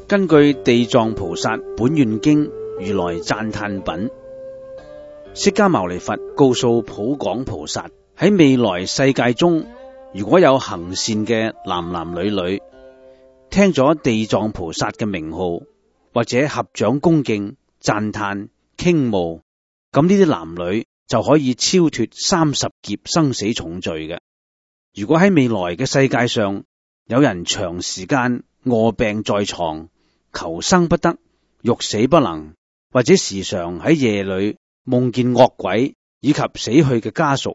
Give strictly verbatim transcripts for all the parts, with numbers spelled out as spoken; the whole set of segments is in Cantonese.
根據地藏菩薩本願經如來讚歎品，釋迦牟尼佛告訴普廣菩薩，喺未來世界中，如果有行善嘅男男女女，聽咗地藏菩薩嘅名號，或者合掌恭敬、讚歎、傾慕，咁呢啲男女就可以超脫三十劫生死重罪嘅。如果喺未來嘅世界上，有人長時間臥病在床，求生不得，欲死不能，或者時常喺夜裏夢見惡鬼以及死去嘅家屬，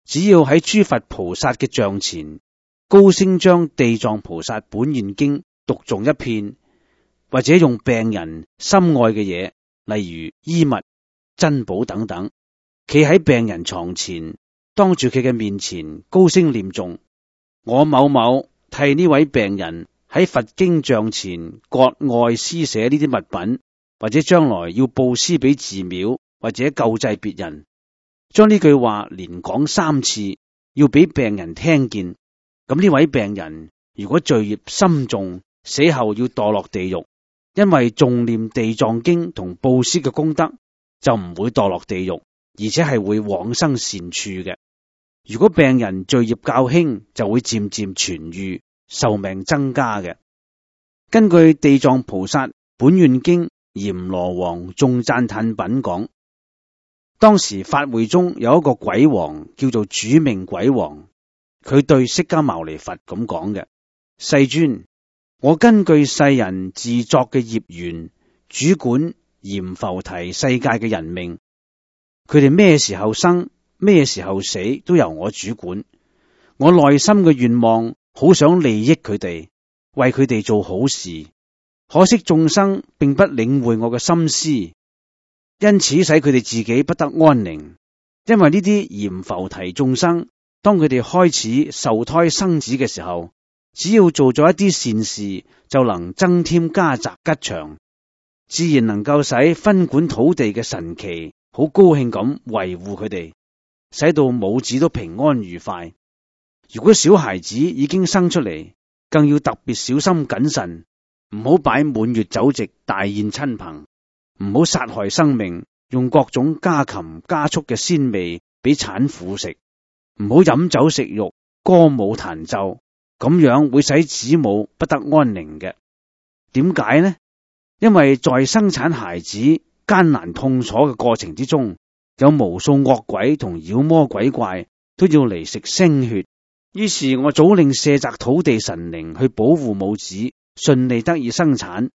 只要喺諸佛菩薩嘅像前高聲將地藏菩薩本願經讀誦一遍，或者用病人心愛嘅嘢，例如衣物、珍寶等等，企喺病人床前，當住佢嘅面前高聲念誦，我某某替呢位病人喺佛經像前割愛施捨呢啲物品，或者將來要布施俾寺廟或者救濟別人，將呢句話連講三次，要俾病人聽見。咁呢位病人如果罪孽深重，死後要墮落地獄，因為誦念地藏經同布施嘅功德，就唔會墮落地獄，而且係會往生善處嘅。如果病人罪孽較輕，就會漸漸痊愈，壽命增加嘅。根據地藏菩薩本願經閻羅王眾讚歎品講，當時法會中有一個鬼王叫做主命鬼王，佢對釋迦牟尼佛咁講嘅：世尊，我根據世人自作嘅業緣，主管閻浮提世界嘅人命，佢哋咩時候生，咩時候死，都由我主管。我內心嘅願望，好想利益佢哋，為佢哋做好事，可惜眾生並不領會我嘅心思，因此使佢哋自己不得安寧。因為呢啲閻浮提眾生，當佢哋開始受胎生子嘅時候，只要做咗一啲善事，就能增添家宅吉祥，自然能夠使分管土地嘅神祇好高興咁維護佢哋，使到母子都平安愉快。如果小孩子已經生出嚟，更要特別小心謹慎，唔好擺滿月酒席大宴親朋，唔好殺害生命，用各種家禽家畜嘅鮮味俾產婦食，唔好飲酒食肉，歌舞彈奏，咁樣會使子母不得安寧嘅。點解呢？因為在生產孩子艱難痛楚嘅過程之中，有無數惡鬼同妖魔鬼怪都要嚟食腥血。於是我早令舍宅土地神靈去保護母子順利得以生產，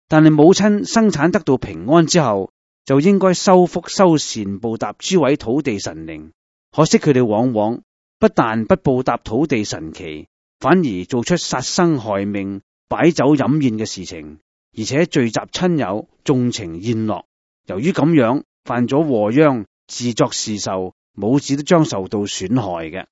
但係母親生產得到平安之後，就應該修福修善報答諸位土地神靈。可惜佢哋往往不但不報答土地神祇，反而做出殺生害命、擺酒飲宴嘅事情，而且聚集親友縱情宴樂。由於咁樣犯咗禍殃，自作自受，母子都將受到損害嘅。